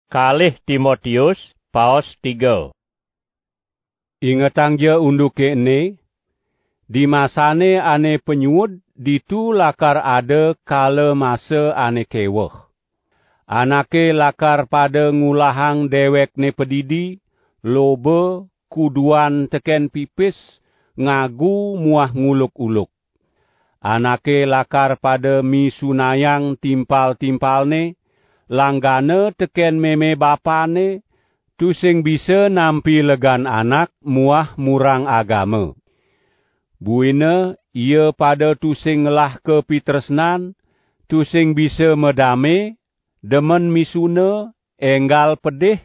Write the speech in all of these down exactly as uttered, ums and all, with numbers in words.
Kalih Timotius, paos tiga. Ingetangja unduke ene, di masane ane panyuud ditu lakar ada kala masa ane keweh. Anake lakar pada ngulahang dewekne padidi, loba, kuduan teken pipis, ngagu muah nguluk-uluk. Anake lakar pada misunayang timpal-timpalne, langgana teken meme bapane, tusing bisa nampi legan anak muah murang agama. Buina ia pada tusing ngelah kapitresnan, tusing bisa madame, demen misuna, enggal pedih,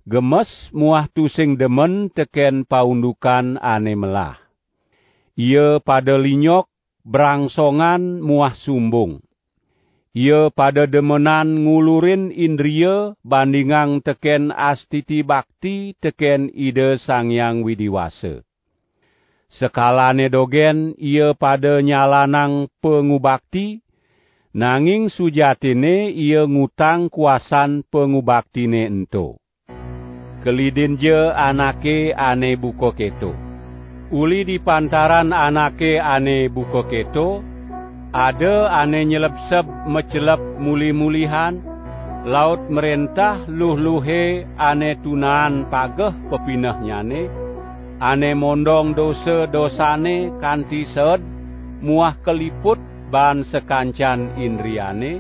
gemes muah tusing demen teken paundukan ane melah. Ia pada linyok, brangsongan muah sumbung. Ia pada demenan ngulurin indria bandingang teken astiti bakti teken Ida Sang Hyang Widi Wasa. Sekalane dogen ia pada nyalanang pangubakti, nanging sujatine ia ngutang kuasan pangubaktine ento. Kelidinja anake ane buka keto. Uli di pantaran anake ane buka keto, ada ane nyelebseb macelep muli-mulihan, laut mrentah luh-luhe ane tunaan pageh pepinehnyane, ane mondong dosa-dosane kanti seed muah kaliput baan sakancan indriane,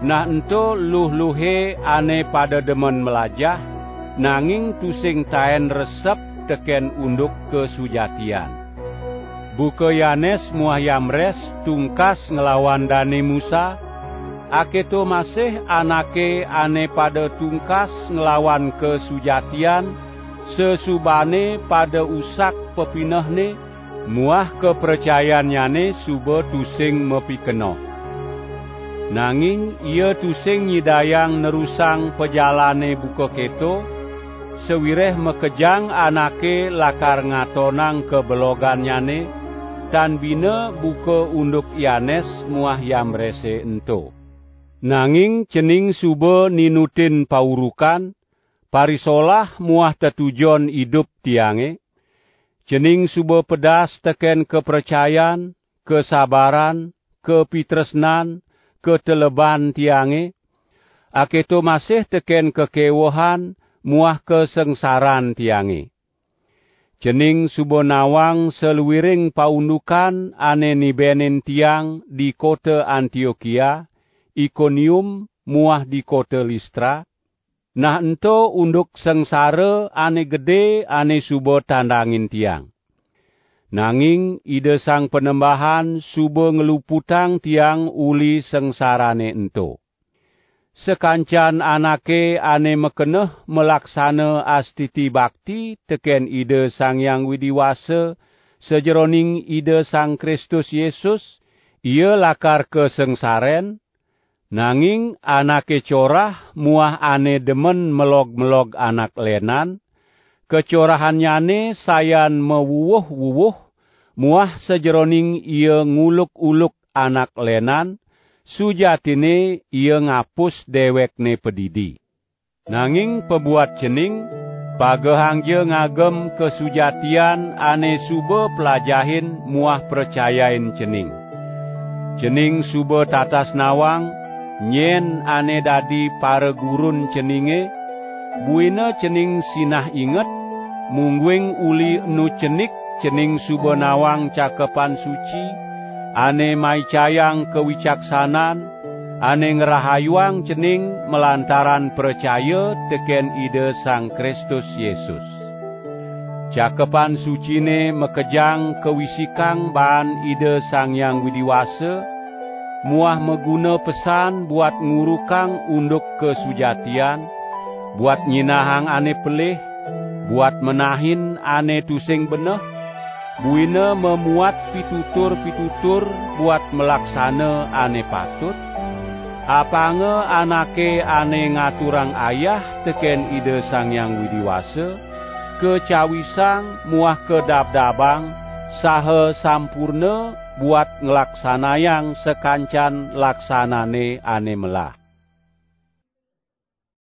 nah ento luh-luhe ane pada demen mlajah, nanging tusing taen resep teken unduk kasujatian. Buka Yanes muah Yamres tungkas nglawan Dane Musa, aketo masih anake ane pada tungkas nglawan kasujatian, sesubane pada usak pepinehne, muah kapracayannyane suba tusing mapikenoh. Nanging ia tusing nyidayang nerusang pajalane buka keto, sawireh makejang anake lakar ngatonang kabelogannyane, tan bina buka unduk Yanes muah Yambrese ento. Nanging cening suba ninutin paurukan, parisolah muah tetujon idup tiange, cening suba pedas teken kapracayan, kasabaran, kapitresnan, kateleban tiange, aketo masih teken kakewehan muah kasangsaran tiange. Cening suba nawang saluiring paundukan ane nibenin tiang di kota Antiokia, Ikonium, muah di kota Listra, nah ento unduk sangsara ane gede ane suba tandangin tiang. Nanging Ida Sang Panembahan suba ngluputang tiang uli sangsarane ento. Sakancan anake ane makeneh malaksana astiti bakti teken Ida Sang Hyang Widi Wasa sajeroning Ida Sang Kristus Yesus, ia lakar kasangsaren, nanging anake corah muah ane demen melog-melog anak lenan, kacorahannyane sayan mawuwuh-wuwuh, muah sajeroning ia nguluk-uluk anak lenan, sujatine ia ngapus dewekne padidi. Nanging pabuat cening, pagehangja ngagem kasujatian ane suba plajahin muah pracayain cening. Cening suba tatas nawang, nyen ane dadi paragurun ceninge, buina cening sinah inget, mungguing uli enu cenik cening suba nawang Cakepan Suci, ane maicayang kawicaksanan, ane ngrahayuang cening malantaran pracaya teken Ida Sang Kristus Yesus. Cakepan Sucine makejang kawisikang baan Ida Sang Hyang Widi Wasa, muah maguna pesan buat ngurukang unduk kasujatian, buat nyinahang ane pelih, buat menahin ane tusing beneh, buina mamuat pitutur-pitutur buat malaksana ane patut, apanga anake ane ngaturang ayah teken Ida Sang Hyang Widi Wasa, kacawisang muah kadabdabang saha sampurna buat nglaksanayang sakancan laksanane ane melah.